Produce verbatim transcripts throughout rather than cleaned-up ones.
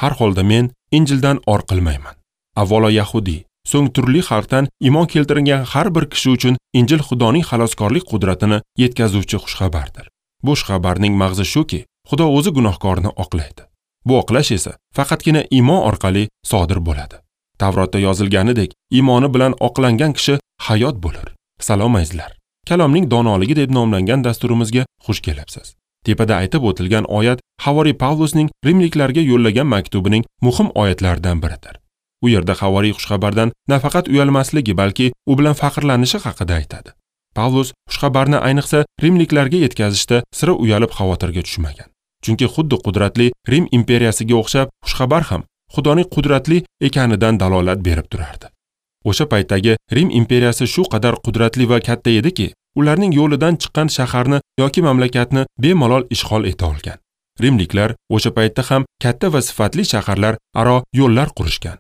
Har holda men Injildan or qilmayman. Avvalo yahudiy, so'ng turli xalqdan iymon keltirgan har bir kishi uchun Injil Xudoning xaloskorlik qudratini yetkazuvchi xushxabardir. Bu xushxabarning mag'zi shuki, Xudo o'zi gunohkorni oqlaydi. Bu oqlash esa faqatgina iymon orqali sodir bo'ladi. Tavrotda yozilganidek, iymoni bilan oqlangan kishi hayot bo'lar. Salom azizlar. Kalomning donoligi deb nomlangan dasturimizga xush kelibsiz. Tepada aytib o'tilgan oyat Havoriy Pavlusning rimliklarga yo'llagan maktubining muhim oyatlaridan biridir. U yerda Havoriy xushxabardan nafaqat uyalmasligi, balki u bilan faxrlanishi haqida aytadi. Pavlus xushxabarni ayniqsa rimliklarga yetkazishda sira uyalib xavotirga tushmagan. Chunki xuddi qudratli Rim imperiyasiga o'xshab xushxabar ham Xudoning qudratli ekanidan dalolat berib turardi. O'sha paytdagi Rim imperiyasi shu qadar qudratli va katta ediki, ularning yo'lidan chiqqan shaharni yoki mamlakatni bemalol ishg'ol eta olgan. Rimliklar o'sha paytda ham katta va sifatli shaharlar aro yo'llar qurishgan.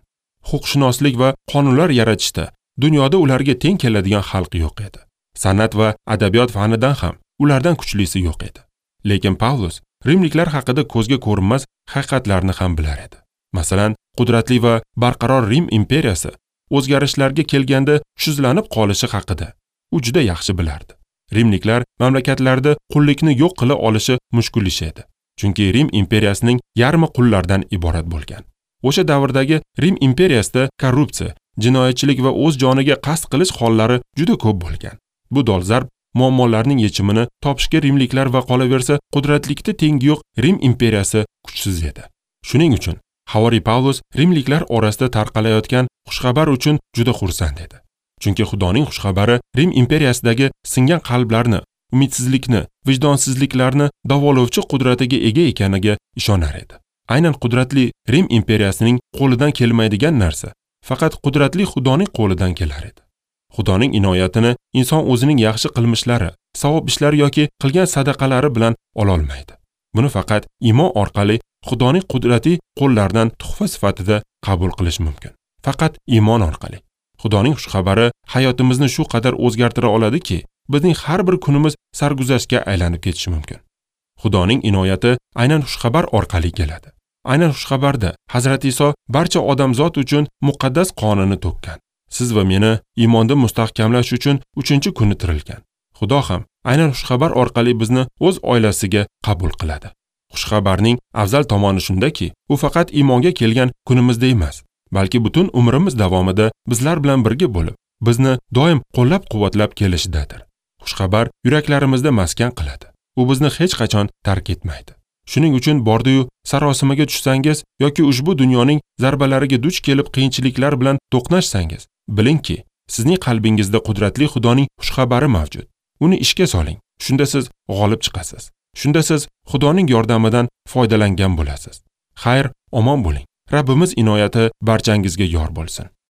Huquqshunoslik va qonunlar yaratishda dunyoda ularga teng keladigan xalq yo'q edi. San'at va adabiyot fanidan ham ulardan kuchlisi yo'q edi. Lekin Pavlus rimliklar haqida ko'zga ko'rinmas haqiqatlarni ham bilar edi. Masalan, qudratli va barqaror Rim imperiyasi o'zgarishlarga kelganda kuchsizlanib qolishi haqida u juda yaxshi bilardi. Rimliklar mamlakatlarda qullikni yo'q qila olishi mushkul ish edi. Chunki Rim imperiyasining yarmi qullardan iborat bo'lgan. O'sha davrdagi Rim imperiyasida korrupsiya, jinoyatchilik va o'z joniga qasd qilish hollari juda ko'p bo'lgan. Bu dolzarb muammolarning yechimini topishga rimliklar va qolaversa qudratlikda tengi yo'q Rim imperiyasi kuchsiz edi. Shuning uchun Havoriy Pavlus rimliklar orasida tarqalayotgan xushxabar uchun juda xursand edi. Chunki Xudoning xushxabari Rim imperiyasidagi singan qalblarni, umidsizlikni, vijdonsizliklarni davolovchi qudratiga ega ekaniga ishonar edi. Aynan qudratli Rim imperiyasining qo'lidan kelmaydigan narsa faqat qudratli Xudoning qo'lidan kelar edi. Xudoning inoyatini inson o'zining yaxshi qilmishlari, savob ishlari yoki qilgan sadaqalari bilan ola olmaydi. Buni faqat iymon orqali Xudoning qudrati qo'llaridan tuhfa sifatida qabul qilish mumkin. Faqat iymon orqali. Xudoning xushxabari hayotimizni shu qadar o'zgartira oladiki, bizning har bir kunimiz sarguzashtga aylanib ketishi mumkin. Xudoning inoyati aynan xushxabar orqali keladi. Aynan xushxabarda Hazrati Iso barcha odamzod uchun muqaddas qonini to'kkan. Siz va meni iymonda mustahkamlash uchun uchinchi kuni tirilgan. Xudo ham aynan xushxabar orqali bizni o'z oilasiga qabul qiladi. Xushxabarning afzal tomoni shundaki, u faqat iymonga kelgan kunimizda emas, balki butun umrimiz davomida bizlar bilan birga bo'lib, bizni doim qo'llab-quvvatlab kelishidadir. Xushxabar yuraklarimizda maskan qiladi. U bizni hech qachon tark etmaydi. Shuning uchun bordi-yu sarosimaga tushsangiz yoki ushbu dunyoning zarbalariga duch kelib qiyinchiliklar bilan to'qnashsangiz, bilingki, sizning qalbingizda qudratli Xudoning xushxabari mavjud. Uni ishga soling. Shunda siz g'olib chiqasiz. Shunda siz Xudoning yordamidan foydalangan bo'lasiz. Xayr, omon bo'ling. Rabbimiz inoyati barchangizga yor bo'lsin.